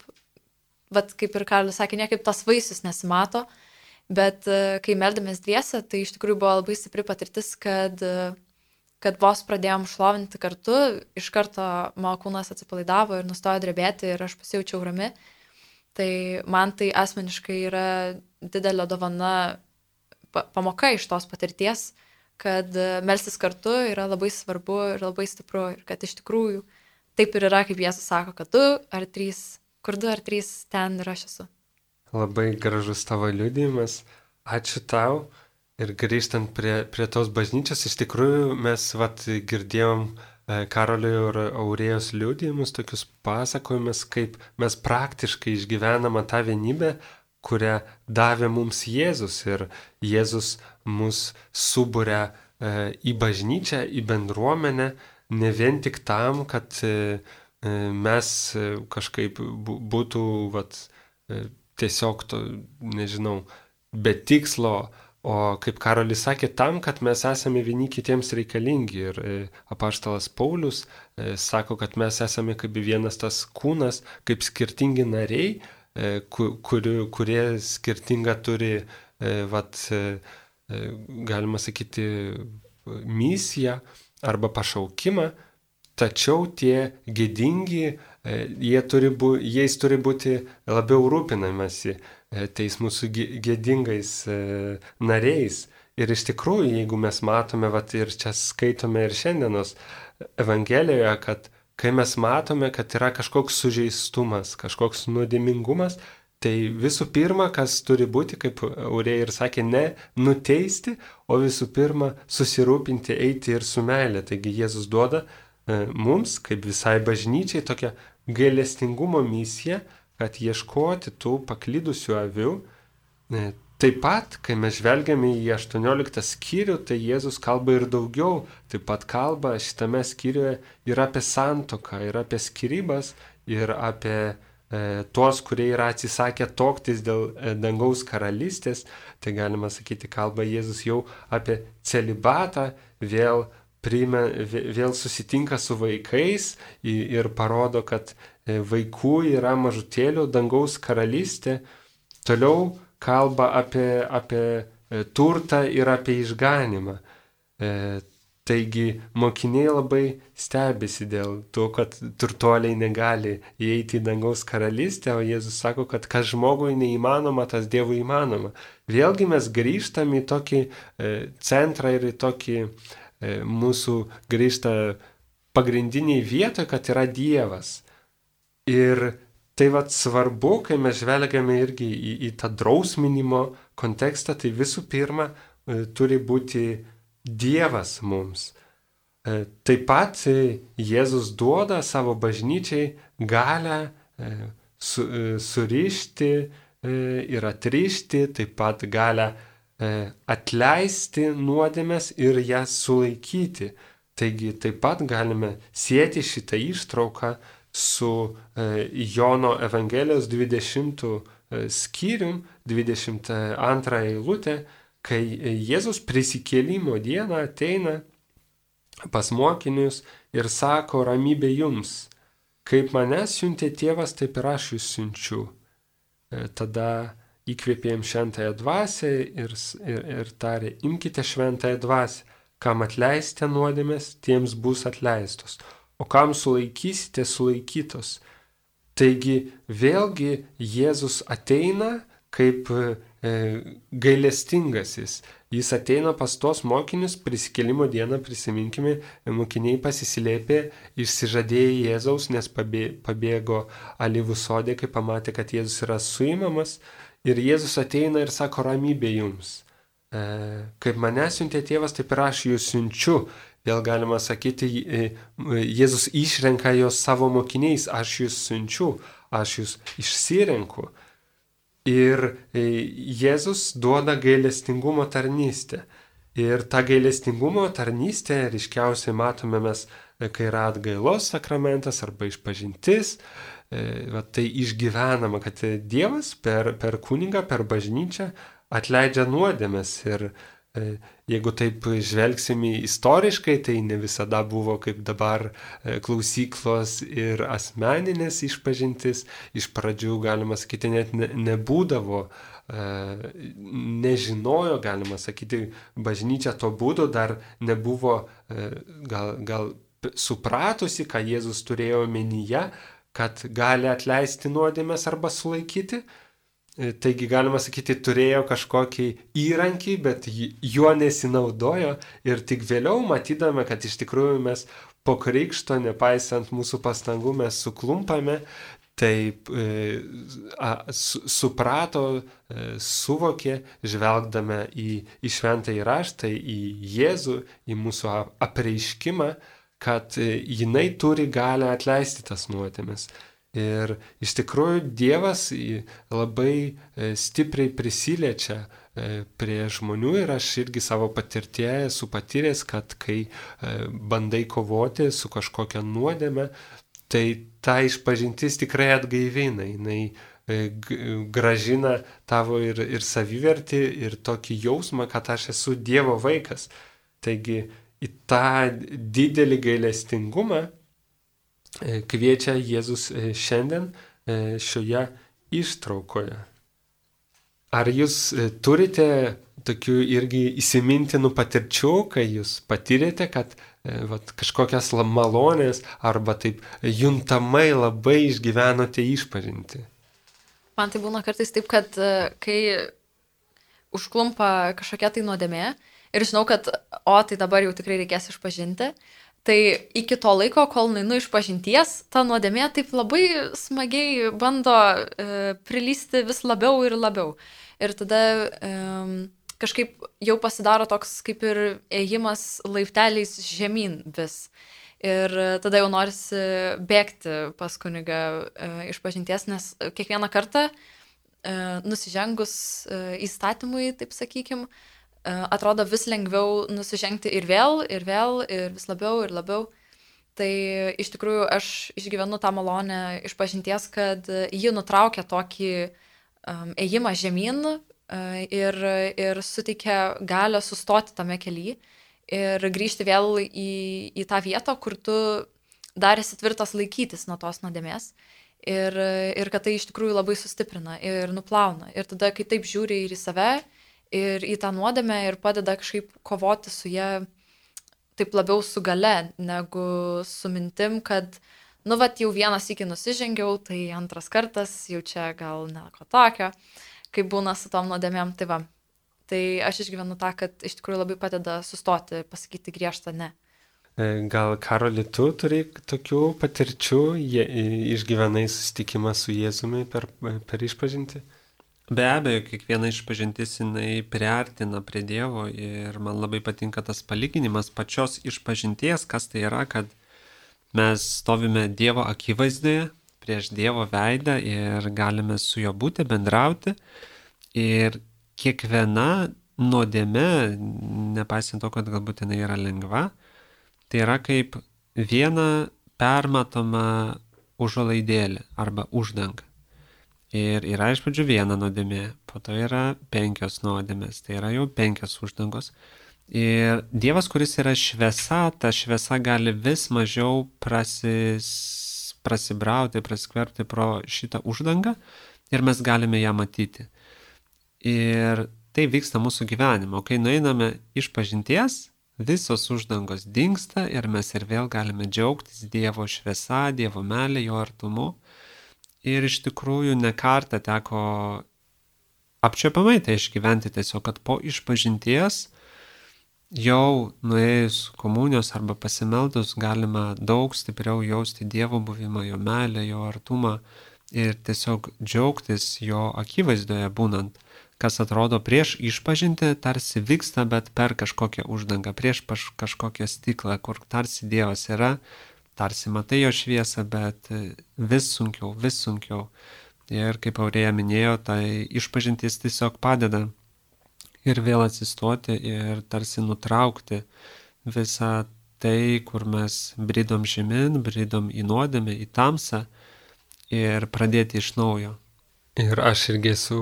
vat kaip ir Karolis sakė, niekaip tas vaisius nesimato, bet kai meldėmės dviese, tai iš tikrųjų buvo labai stipri patirtis, kad vos pradėjom šlovinti kartu, iš karto mano kūnas atsipalaidavo ir nustojo drebėti ir aš pasijaučiau rami. Tai man tai asmeniškai yra didelė dovana, pamoka iš tos patirties, kad melstis kartu yra labai svarbu ir labai stipru ir kad iš tikrųjų taip ir yra, kaip Jėzus sako, kad 2 ar 3, kur 2 ar 3, ten ir aš esu. Labai gražus tavo liudijimas. Ačiū tau. Ir grįžtant prie tos bažnyčios, iš tikrųjų mes girdėjom Karolio ir Aurėjos liudijimus, tokius pasakojimus, kaip mes praktiškai išgyvename tą vienybę, kurią davė mums Jėzus. Ir Jėzus mus suburia į bažnyčią, į bendruomenę, ne vien tik tam, kad mes kažkaip būtų tiesiog to, nežinau, be tikslo, o kaip Karolis sakė, tam, kad mes esame vieni kitiems reikalingi. Ir apaštalas Paulius sako, kad mes esame kaip vienas tas kūnas, kaip skirtingi nariai, kurie skirtingą turi, galima sakyti, misiją arba pašaukimą, tačiau tie gėdingi, jais turi būti labiau rūpinamasi tais mūsų gėdingais nariais. Ir iš tikrųjų, jeigu mes matome, ir čia skaitome ir šiandienos Evangelijoje, kad kai mes matome, kad yra kažkoks sužeistumas, kažkoks nuodėmingumas, tai visų pirma, kas turi būti, kaip Aurėja ir sakė, ne nuteisti, o visų pirma susirūpinti, eiti ir su meile. Taigi Jėzus duoda mums, kaip visai bažnyčiai, tokią gailestingumo misiją, kad ieškoti tų paklydusių avių. Taip pat, kai mes žvelgiame į 18 skyrių, tai Jėzus kalba ir daugiau. Taip pat kalba šitame skyriuje ir apie santuoką, ir apie skyrybas, ir apie tuos, kurie yra atsisakę tuoktis dėl dangaus karalystės. Tai galima sakyti, kalba Jėzus jau apie celibatą, vėl susitinka su vaikais ir parodo, kad vaikų yra mažutėlių dangaus karalystė. Toliau kalba apie turtą ir apie išganimą. Taigi mokiniai labai stebisi dėl to, kad turtuoliai negali įeiti į dangaus karalystę, o Jėzus sako, kad kas žmogui neįmanoma, tas Dievui įmanoma. Vėlgi mes grįžtam į tokį centrą ir į tokį mūsų grįžta pagrindiniai vietoje, kad yra Dievas. Ir tai svarbu, kai mes žvelgiame irgi į tą drausminimo kontekstą, tai visų pirma turi būti Dievas mums. Taip pat Jėzus duoda savo bažnyčiai galią surišti ir atrišti, taip pat galią atleisti nuodėmes ir jas sulaikyti. Taigi taip pat galime sieti šitą ištrauką su Jono Evangelijos 20 skyrium, 22 eilutė, kai Jėzus prisikėlimo dieną ateina pas mokinius ir sako, ramybė jums, kaip mane siuntė tėvas, taip ir aš jūs siunčiu. Tada įkvėpėjom šventąją dvasią ir tarė, imkite šventąją dvasią, kam atleisite nuodėmės, tiems bus atleistos, o kam sulaikysite, sulaikytos. Taigi vėlgi Jėzus ateina kaip gailestingasis. Jis ateina pas tos mokinius, prisikėlimo dieną, prisiminkime, mokiniai pasislėpė, išsižadėjo Jėzaus, nes pabėgo alyvų sode, kai pamatė, kad Jėzus yra suimamas. Ir Jėzus ateina ir sako, ramybė jums. Kaip mane siuntė tėvas, taip ir aš jūs siunčiu. Vėl galima sakyti, Jėzus išrenka jos savo mokiniais, aš jūs siunčiu, aš jūs išsirenku. Ir Jėzus duoda gailestingumo tarnystę. Ir tą gailestingumo tarnystę ryškiausiai matome mes, kai yra atgailos sakramentas arba išpažintis. Tai išgyvenama, kad Dievas per kunigą, per bažnyčią atleidžia nuodėmes. Ir Jeigu taip žvelgsime istoriškai, tai ne visada buvo kaip dabar klausyklos ir asmeninės išpažintis. Iš pradžių, galima sakyti, net nebūdavo, nežinojo, galima sakyti, bažnyčia to būdu dar nebuvo gal supratusi, ką Jėzus turėjo omenyje, kad gali atleisti nuodėmes arba sulaikyti. Taigi, galima sakyti, turėjo kažkokį įrankį, bet juo nesinaudojo ir tik vėliau matydame, kad iš tikrųjų mes po krikšto, nepaisant mūsų pastangų, mes suklumpame, taip suprato, suvokė, žvelgdame į šventąjį raštą, į Jėzų, į mūsų apreiškimą, kad jinai turi galią atleisti tas nuodėmes. Ir iš tikrųjų Dievas labai stipriai prisiliečia prie žmonių ir aš irgi savo patirtyje esu patyręs, kad kai bandai kovoti su kažkokia nuodėme, tai ta išpažintis tikrai atgaivina, jinai gražina tavo ir savivertį, ir tokį jausmą, kad aš esu Dievo vaikas. Taigi į tą didelį gailestingumą kviečia Jėzus šiandien šioje ištraukoje. Ar jūs turite tokių irgi įsimintinų patirčių, kai jūs patyrėte, kad kažkokias malonės arba taip juntamai labai išgyvenote išpažinti? Man tai būna kartais taip, kad kai užklumpa kažkokia tai nuodėmė ir žinau, kad tai dabar jau tikrai reikės išpažinti, tai iki to laiko, kol nueinu išpažinties, ta nuodėmė taip labai smagiai bando prilysti vis labiau ir labiau. Ir tada kažkaip jau pasidaro toks kaip ir ėjimas laipteliais žemyn vis. Ir tada jau norisi bėgti pas kunigą išpažinties, nes kiekvieną kartą nusižengus įstatymui, taip sakykim, atrodo vis lengviau nusižengti ir vėl, ir vis labiau ir labiau. Tai iš tikrųjų aš išgyvenu tą malonę išpažinties, kad ji nutraukia tokį ėjimą žemyn ir suteikia galią sustoti tame kelyje ir grįžti vėl į tą vietą, kur tu dar esi tvirtas laikytis nuo tos nuodėmės. Ir kad tai iš tikrųjų labai sustiprina ir nuplauna. Ir tada, kai taip žiūri ir į save, ir į tą nuodėmę ir padeda kažkaip kovoti su ją taip labiau su gale, negu su mintim, kad, jau vienas iki nusižengiau, tai antras kartas, jau čia gal nieko tokio, kaip būna su tom nuodėmėm, tai va. Tai aš išgyvenu tą, kad iš tikrųjų labai padeda sustoti, pasakyti griežtą ne. Gal, Karoli, tu turi tokių patirčių, išgyvenai susitikimą su Jėzumi per išpažintį? Be abejo, kiekviena išpažintis jinai priartina prie Dievo ir man labai patinka tas palyginimas pačios išpažinties, kas tai yra, kad mes stovime Dievo akivaizdoje, prieš Dievo veidą ir galime su juo būti, bendrauti. Ir kiekviena nuodėmė, nepaisant to, kad galbūt jinai yra lengva, tai yra kaip viena permatoma užuolaidėlė arba uždanga. Ir yra iš pradžių viena nuodėmė, po to yra 5 nuodėmės, tai yra jau 5 uždangos. Ir Dievas, kuris yra šviesa, ta šviesa gali vis mažiau prasibrauti, praskverbti pro šitą uždangą ir mes galime ją matyti. Ir tai vyksta mūsų gyvenime. Kai nueiname išpažinties, visos uždangos dingsta ir mes ir vėl galime džiaugtis Dievo šviesa, Dievo meilė, jo artumu. Ir iš tikrųjų ne kartą teko apčiuopiamai tai išgyventi tiesiog, kad po išpažinties jau nuėjus komunijos arba pasimeldus galima daug stipriau jausti Dievo buvimą, jo meilę, jo artumą ir tiesiog džiaugtis jo akivaizdoje būnant, kas atrodo prieš išpažinti tarsi vyksta, bet per kažkokią uždangą, prieš kažkokią stiklą, kur tarsi Dievas yra, tarsi matai jo šviesą, bet vis sunkiau. Ir kaip Aurėja minėjo, tai išpažintis tiesiog padeda ir vėl atsistoti ir tarsi nutraukti visą tai, kur mes bridom žemyn, bridom į nuodėmę, į tamsą ir pradėti iš naujo. Ir aš irgi esu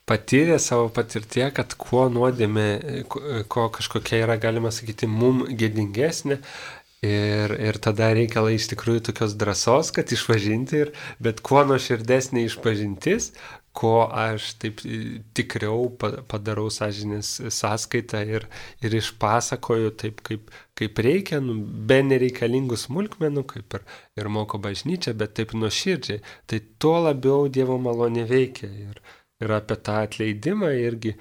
patyrė savo patirtie, kad kuo nuodėmė, ko kažkokia yra, galima sakyti, mum gėdingesnė. Ir tada reikia iš tikrųjų tokios drąsos, kad išpažinti, bet kuo nuoširdesnė išpažintis, ko aš taip tikriau padarau sąžinės sąskaitą ir išpasakoju taip, kaip reikia, be nereikalingų smulkmenų, kaip ir moko bažnyčia, bet taip nuoširdžiai, tai tuo labiau Dievo malonė veikia. Ir apie tą atleidimą irgi,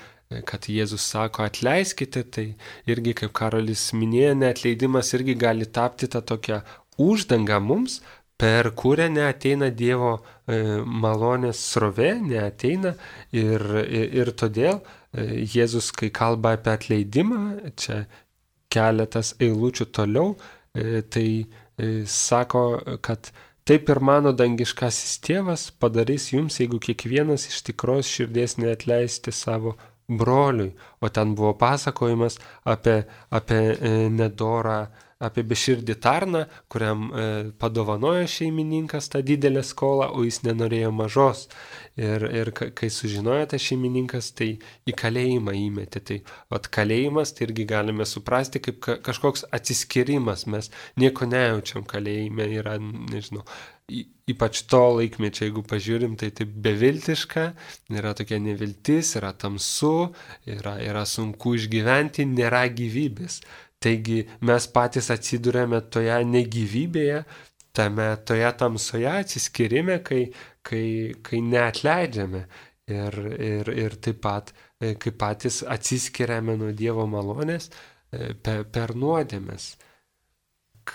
kad Jėzus sako atleiskite, tai irgi, kaip Karolis minėjo, neatleidimas irgi gali tapti tą tokią uždangą mums, per kurią neateina Dievo malonės srovė, neateina ir todėl Jėzus, kai kalba apie atleidimą, čia keletas eilučių toliau, tai sako, kad taip ir mano dangiškasis tėvas padarys jums, jeigu kiekvienas iš tikros širdies neatleisti savo broliui. O ten buvo pasakojimas apie nedorą, apie beširdį tarną, kuriam padovanojo šeimininkas tą didelę skolą, o jis nenorėjo mažos. Ir kai sužinojo tas šeimininkas, tai į kalėjimą įmetė. Tai kalėjimas, tai irgi galime suprasti kaip kažkoks atsiskyrimas. Mes nieko nejaučiam kalėjime, yra, nežinau, ypač to laikmečio, jeigu pažiūrim, tai taip beviltiška, yra tokia neviltis, yra tamsu, yra sunku išgyventi, nėra gyvybės. Taigi mes patys atsidūrėme toje negyvybėje, toje tamsoje atsiskyrime, kai neatleidžiame ir taip pat, kai patys atsiskiriame nuo Dievo malonės per nuodėmes.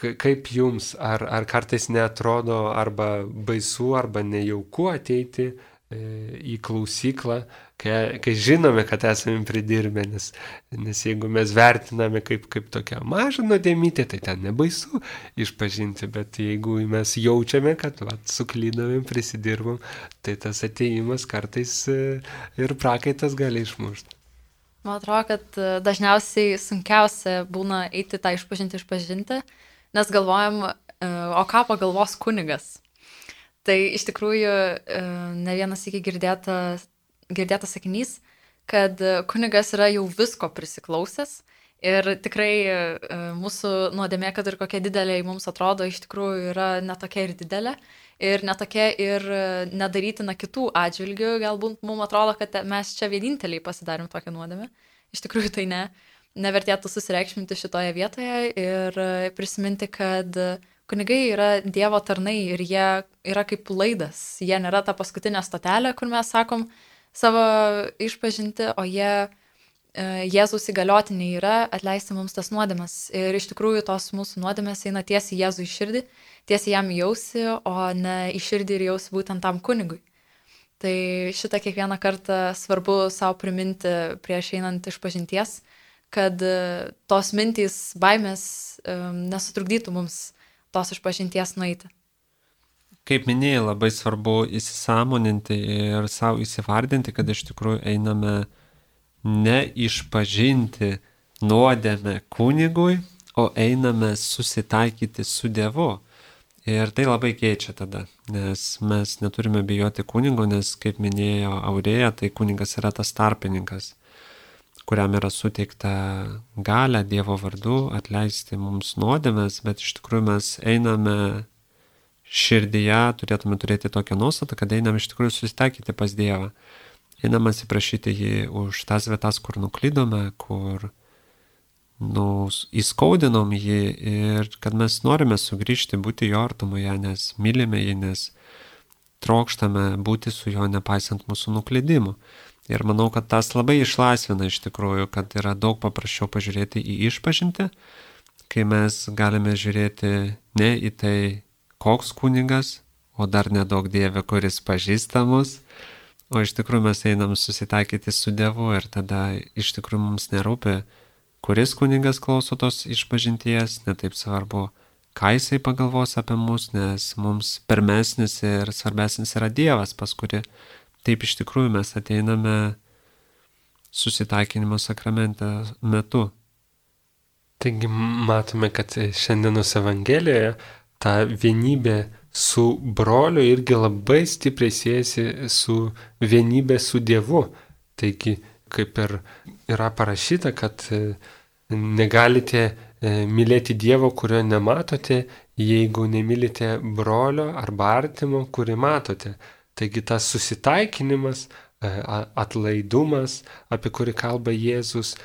Kaip jums, ar kartais neatrodo arba baisu, arba nejauku ateiti į klausyklą, kai žinome, kad esame pridirbę, nes jeigu mes vertiname kaip tokią mažą nuodėmytę, tai ten nebaisu išpažinti, bet jeigu mes jaučiame, kad suklydome, prisidirbom, tai tas ateimas kartais ir prakaitas gali išmušti. Man atrodo, kad dažniausiai sunkiausia būna eiti tą išpažinti, nes galvojam, o ką pagalvos kunigas. Tai iš tikrųjų ne vienas iki girdėtas sakinys, kad kunigas yra jau visko prisiklausęs ir tikrai mūsų nuodėmė, kad ir kokia didelė mums atrodo, iš tikrųjų yra netokia ir didelė ir netokia ir nedarytina kitų atžvilgių. Galbūt mums atrodo, kad mes čia vieninteliai pasidarėm tokią nuodėmę. Iš tikrųjų tai ne. Nevertėtų susireikšminti šitoje vietoje ir prisiminti, kad kunigai yra Dievo tarnai ir jie yra kaip laidas. Jie nėra ta paskutinė stotelė, kur mes sakom savo išpažinti, o jie Jėzaus įgaliotiniai yra atleisti mums tas nuodėmes. Ir iš tikrųjų tos mūsų nuodėmes eina tiesiai Jėzui į širdį, tiesiai jam į ausį, o ne į širdį ir į ausį būtent tam kunigui. Tai šitą kiekvieną kartą svarbu savo priminti prieš einant išpažinties, kad tos mintys, baimės nesutrukdytų mums tos išpažinties nueiti. Kaip minėjai, labai svarbu įsisąmoninti ir savo įsivardinti, kad iš tikrųjų einame ne išpažinti nuodėmę kunigui, o einame susitaikyti su Dievu. Ir tai labai keičia tada, nes mes neturime bijoti kunigo, nes, kaip minėjo Aurėja, tai kunigas yra tas tarpininkas, kuriam yra suteikta galia Dievo vardu atleisti mums nuodėmes, bet iš tikrųjų mes einame širdyje, turėtume turėti tokią nuostatą, kad einame iš tikrųjų susitaikyti pas Dievą. Einame atsiprašyti jį už tas vietas, kur nuklydome, kur įskaudinom jį ir kad mes norime sugrįžti, būti jo artumoje, nes mylime jį, nes trokštame būti su juo nepaisant mūsų nuklydimų. Ir manau, kad tas labai išlaisvina iš tikrųjų, kad yra daug paprasčiau pažiūrėti į išpažintį, kai mes galime žiūrėti ne į tai, koks kunigas, o dar nedaug Dieve, kuris pažįsta mus, o iš tikrųjų mes einam susitaikyti su Dievu ir tada iš tikrųjų mums nerūpi, kuris kunigas klauso tos išpažinties, netaip svarbu, ką jisai pagalvos apie mus, nes mums pirmesnis ir svarbesnis yra Dievas, pas kurį taip iš tikrųjų mes ateiname susitaikinimo sakramente metu. Taigi matome, kad šiandienos Evangelijoje ta vienybė su broliu irgi labai stipriai siejasi su vienybė su Dievu. Taigi, kaip ir yra parašyta, kad negalite mylėti Dievo, kurio nematote, jeigu nemylite brolio arba artimo, kurį matote. Taigi tas susitaikinimas, atlaidumas, apie kurį kalba Jėzus,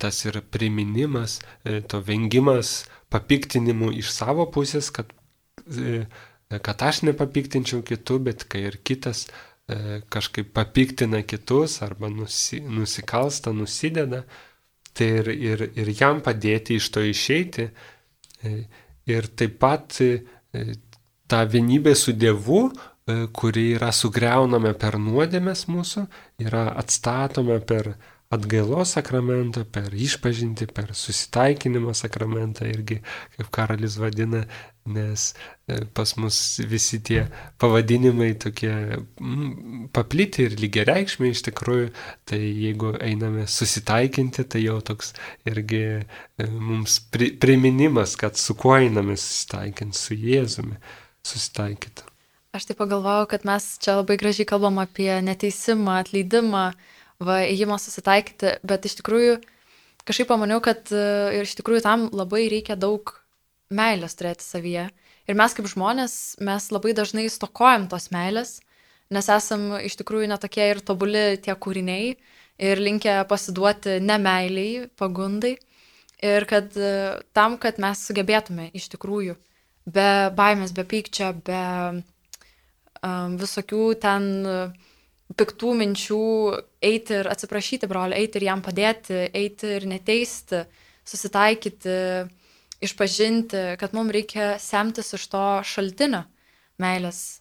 tas ir priminimas, to vengimas papiktinimų iš savo pusės, kad aš nepapiktinčiau kitų, bet kai ir kitas kažkaip papiktina kitus arba nusikalsta, nusideda, tai ir jam padėti iš to išeiti. Ir taip pat ta vienybė su Dievu, kuri yra sugriaunama per nuodėmes mūsų, yra atstatoma per atgailos sakramentą, per išpažintį, per susitaikinimo sakramentą irgi, kaip Karolis vadina, nes pas mus visi tie pavadinimai tokie papliti ir lygiareikšmiai iš tikrųjų, tai jeigu einame susitaikinti, tai jau toks irgi mums priminimas, kad su kuo einame susitaikinti, su Jėzumi susitaikyti. Aš taip pagalvojau, kad mes čia labai gražiai kalbam apie neteisimą, atleidimą, ėjimą susitaikyti, bet iš tikrųjų kažkaip pamaniau, kad ir iš tikrųjų tam labai reikia daug meilės turėti savyje. Ir mes kaip žmonės, mes labai dažnai stokojam tos meilės, nes esam iš tikrųjų netokie ir tobuli tie kūriniai ir linkę pasiduoti nemeiliai, pagundai. Ir kad tam, kad mes sugebėtume iš tikrųjų be baimės, be pykčio, be visokių ten piktų minčių eiti ir atsiprašyti brolį, eiti ir jam padėti, eiti ir neteisti, susitaikyti, išpažinti, kad mums reikia semtis iš to šaltinio meilės,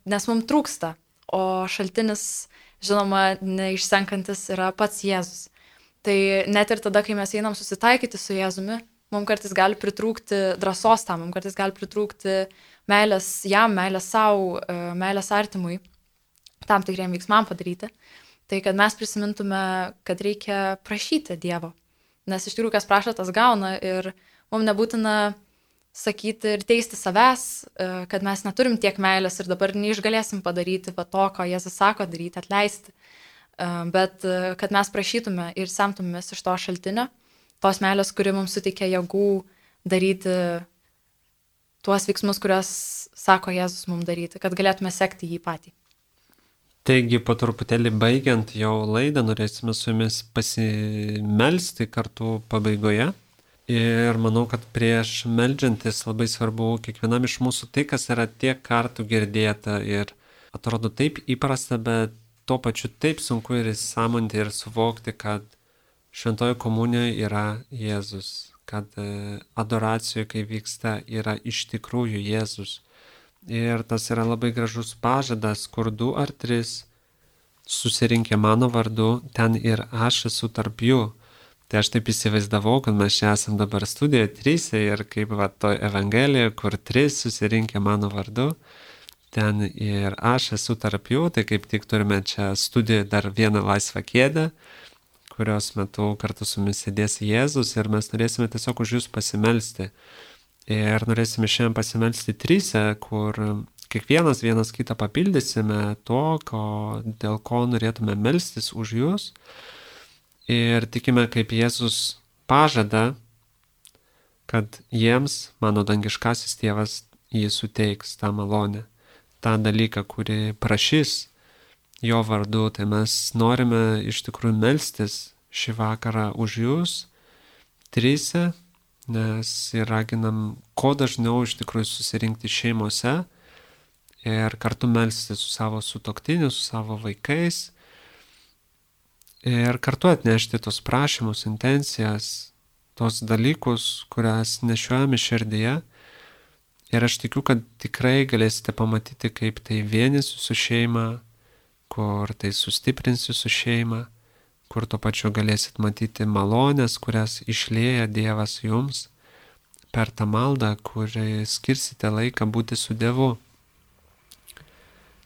nes mums trūksta, o šaltinis, žinoma, neišsenkantis yra pats Jėzus. Tai net ir tada, kai mes einam susitaikyti su Jėzumi, mums kartais gali pritrūkti drąsos tam, mums kartais gali pritrūkti meilės jam, meilės savo, meilės artimui, tam tikriem veiksmam padaryti. Tai kad mes prisimintume, kad reikia prašyti Dievo. Nes iš tikrųjų, kas prašo, tas gauna ir mums nebūtina sakyti ir teisti savęs, kad mes neturim tiek meilės ir dabar neišgalėsim padaryti to, ko Jėzus sako daryti, atleisti. Bet kad mes prašytume ir semtumės iš to šaltinio, tos meilės, kuri mums suteikia jėgų daryti tuos veiksmus, kuriuos sako Jėzus mums daryti, kad galėtume sekti jį patį. Taigi, po truputėlį baigiant jau laidą, norėsime su jumis pasimelsti kartu pabaigoje. Ir manau, kad prieš meldžiantis labai svarbu kiekvienam iš mūsų tai, kas yra tiek kartų girdėta ir atrodo taip įprasta, bet tuo pačiu taip sunku ir įsąmoninti ir suvokti, kad šventoji komunijoje yra Jėzus, kad adoracijoje, kai vyksta, yra iš tikrųjų Jėzus. Ir tas yra labai gražus pažadas, kur 2 ar 3 susirinkę mano vardu, ten ir aš esu tarp jų. Tai aš taip įsivaizdavau, kad mes čia esam dabar studijoje 3 ir kaip to Evangelijoje, kur 3 susirinkę mano vardu, ten ir aš esu tarp jų, tai kaip tik turime čia studijoje dar vieną laisvą kėdę, kurios metu kartu su mumis sėdės Jėzus ir mes norėsime tiesiog už jūs pasimelsti. Ir norėsime šiandien pasimelsti 3, kur kiekvienas vienas kitą papildysime to, dėl ko norėtume melstis už jūs. Ir tikime, kaip Jėzus pažada, kad jiems mano dangiškasis tėvas jį suteiks tą malonę, tą dalyką, kurį prašys jo vardu. Tai mes norime iš tikrųjų melstis šį vakarą už jūs 3, nes ir raginam kuo dažniau iš tikrųjų susirinkti šeimose ir kartu melstis su savo sutuoktiniu, su savo vaikais ir kartu atnešti tos prašymus, intencijas, tos dalykus, kurias nešiojame širdyje. Ir aš tikiu, kad tikrai galėsite pamatyti, kaip tai vienys su šeima, kur tai sustiprins jūsų šeimą, kur tuo pačiu galėsit matyti malonės, kurias išlieja Dievas jums per tą maldą, kurį skirsite laiką būti su Dievu.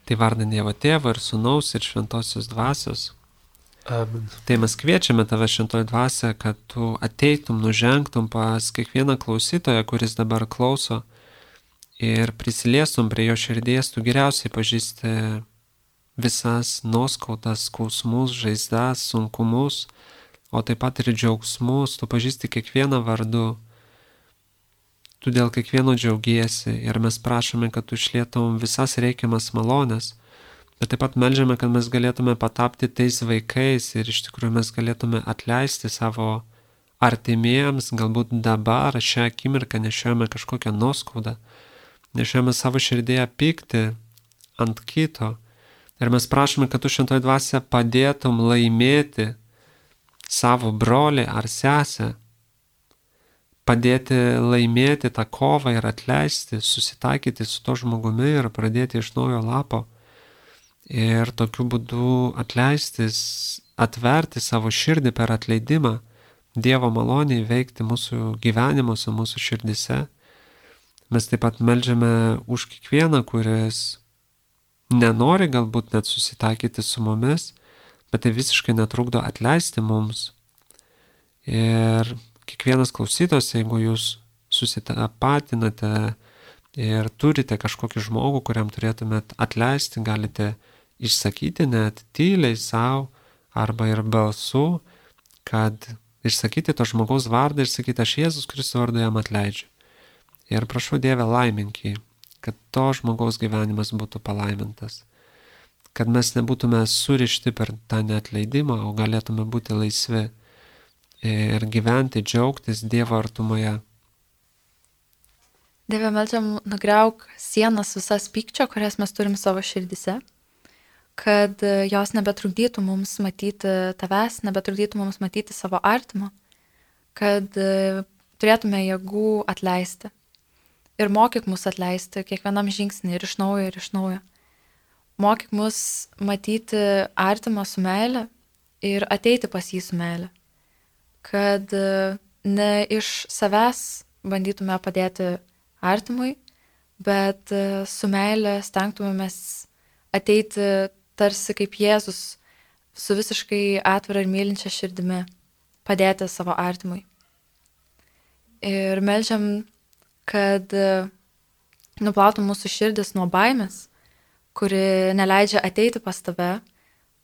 Tai vardant Dievo Tėvo ir Sūnaus ir Šventosios Dvasios. Amen. Tai mes kviečiame tave, Šventoji Dvasia, kad tu ateitum, nužengtum pas kiekvieną klausytoją, kuris dabar klauso, ir prisiliestum prie jo širdies. Tu geriausiai pažįsti visas nuoskaudas, skausmus, žaizdas, sunkumus, o taip pat ir džiaugsmus, tu pažįsti kiekvieną vardu, tu dėl kiekvieno džiaugiesi ir mes prašome, kad tu išlietum visas reikiamas malonės, bet taip pat melžiame, kad mes galėtume patapti tais vaikais ir iš tikrųjų mes galėtume atleisti savo artimiems, galbūt dabar šią akimirką nešiojame kažkokią nuoskaudą, nešiojame savo širdėje pyktį ant kito ir mes prašome, kad tu šventoji dvasia padėtum laimėti savo brolį ar sesę, padėti laimėti tą kovą ir atleisti, susitaikyti su to žmogumi ir pradėti iš naujo lapo ir tokiu būdu atleistis, atverti savo širdį per atleidimą, Dievo maloniai veikti mūsų gyvenimuose, mūsų širdise. Mes taip pat melžiame už kiekvieną, kuris nenori galbūt net susitaikyti su mumis, bet tai visiškai netrukdo atleisti mums. Ir kiekvienas klausytojas, jeigu jūs susitapatinate ir turite kažkokį žmogų, kuriam turėtumėt atleisti, galite išsakyti net tyliai savo arba ir balsu, kad išsakyti to žmogaus vardą ir sakyti, aš Jėzus Kristus vardu jam atleidžiu. Ir prašau Dieve laimink jį, kad to žmogaus gyvenimas būtų palaimintas, kad mes nebūtume surišti per tą neatleidimą, o galėtume būti laisvi ir gyventi, džiaugtis Dievo artumoje. Dieve, meldžiam, nugriauk sienas visas pykčio, kurias mes turim savo širdise, kad jos nebetrukdytų mums matyti tavęs, nebetrukdytų mums matyti savo artimo, kad turėtume jėgų atleisti. Ir mokyk mus atleisti kiekvienam žingsnį ir iš naujo, ir iš naujo. Mokyk mus matyti artimą su meile ir ateiti pas jį su meile. Kad ne iš savęs bandytume padėti artimui, bet su meile stengtumėmės ateiti tarsi kaip Jėzus su visiškai atvira ir mylinčia širdimi padėti savo artimui. Ir melžiam, kad nuplautų mūsų širdis nuo baimės, kuri neleidžia ateiti pas tave,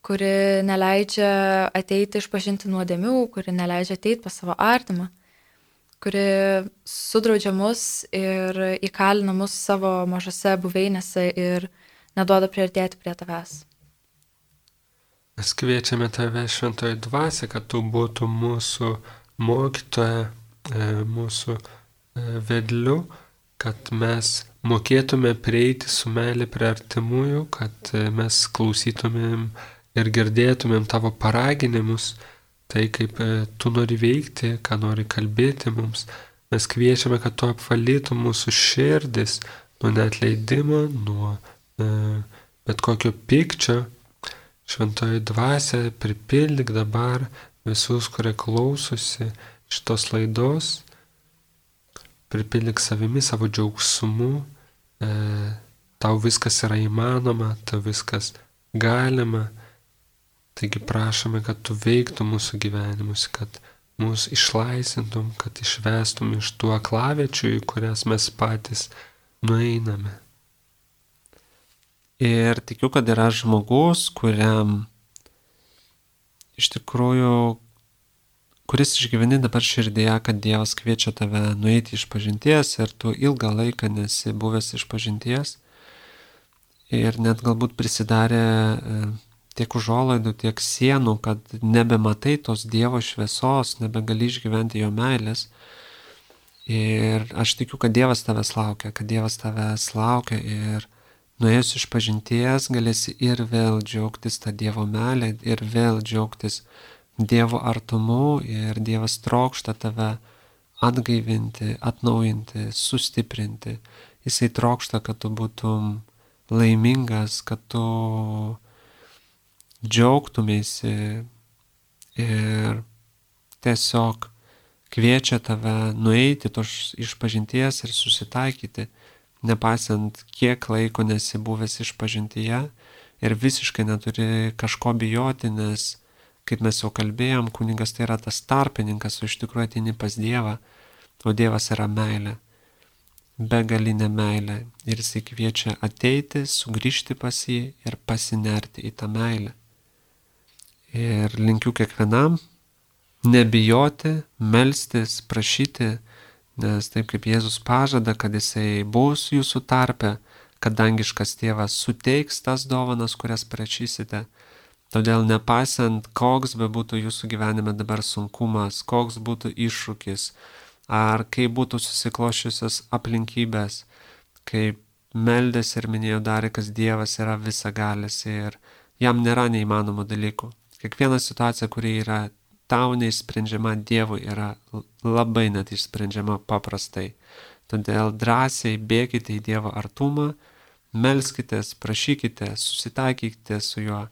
kuri neleidžia ateiti išpažinti nuodėmių, kuri neleidžia ateiti pas savo artimą, kuri sudraudžia mus ir įkalina mus savo mažose buveinėse ir neduoda priartėti prie tavęs. Mes kviečiame tave, šventoji dvasia, kad tu būtų mūsų mokytoja, mūsų vedliu, kad mes mokėtume prieiti su meilė prie artimųjų, kad mes klausytumėm ir girdėtumėm tavo paraginimus, tai kaip tu nori veikti, ką nori kalbėti mums. Mes kviečiame, kad tu apvalytum mūsų širdis nuo neatleidimo, nuo bet kokio pykčio. Šventoji dvasia, pripildyk dabar visus, kurie klausosi šitos laidos, pripildyk savimi, savo džiaugsmu, tau viskas yra įmanoma, tau viskas galima, taigi prašome, kad tu veiktum mūsų gyvenimus, kad mūsų išlaisvintum, kad išvestum iš tų aklaviečių, į kurias mes patys nueiname. Ir tikiu, kad yra žmogus, kuriam iš tikrųjų, kuris išgyveni dabar širdėje, kad Dievas kviečia tave nueiti iš pažinties ir tu ilgą laiką nesi buvęs iš pažinties ir net galbūt prisidarė tiek užuolaidų, tiek sienų, kad nebematai tos Dievo šviesos, nebegali išgyventi jo meilės. Ir aš tikiu, kad Dievas tavęs laukia ir nuėjus iš pažinties galėsi ir vėl džiaugtis tą Dievo meilę, ir vėl džiaugtis Dievo artumu, ir Dievas trokšta tave atgaivinti, atnaujinti, sustiprinti. Jisai trokšta, kad tu būtum laimingas, kad tu džiaugtumėsi ir tiesiog kviečia tave nueiti iš pažinties ir susitaikyti, nepaisant kiek laiko nesi buvęs iš pažintyje ir visiškai neturi kažko bijoti, nes, kaip mes jau kalbėjom, kunigas tai yra tas tarpininkas, o iš tikrųjų ateini pas Dievą, o Dievas yra meilė. begalinę meilę ir jis kviečia ateiti, sugrįžti pas jį ir pasinerti į tą meilę. Ir linkiu kiekvienam nebijoti, melstis, prašyti, nes taip kaip Jėzus pažada, kad jisai bus jūsų tarpe, kad dangiškas tėvas suteiks tas dovanas, kurias prašysite. Todėl nepaisant, koks bebūtų jūsų gyvenime dabar sunkumas, koks būtų iššūkis, ar kaip būtų susiklošiusios aplinkybės, kaip meldės ir minėjo Darikas, Dievas yra visagalis ir jam nėra neįmanomų dalykų. Kiekviena situacija, kuri yra tau neišsprendžiama, Dievui yra labai net išsprendžiama paprastai. Todėl drąsiai bėkite į Dievo artumą, melskitės, prašykite, susitaikykite su juo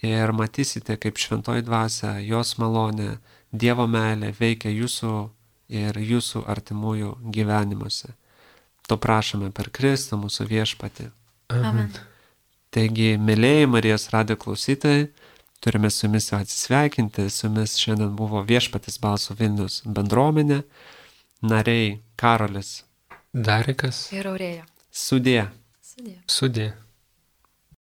ir matysite, kaip šventoji dvasia, jos malonė, Dievo meilė veikia jūsų ir jūsų artimųjų gyvenimuose. To prašome per Kristų mūsų viešpatį. Amen. Taigi, mėlėjai Marijos radijo klausytojai, turime su jumis atsisveikinti. Su jumis šiandien buvo Viešpatis balso Vilnius bendruomenė, nariai Karolis, Darikas. Ir Aurėja. sudie. Sudie. Sudie.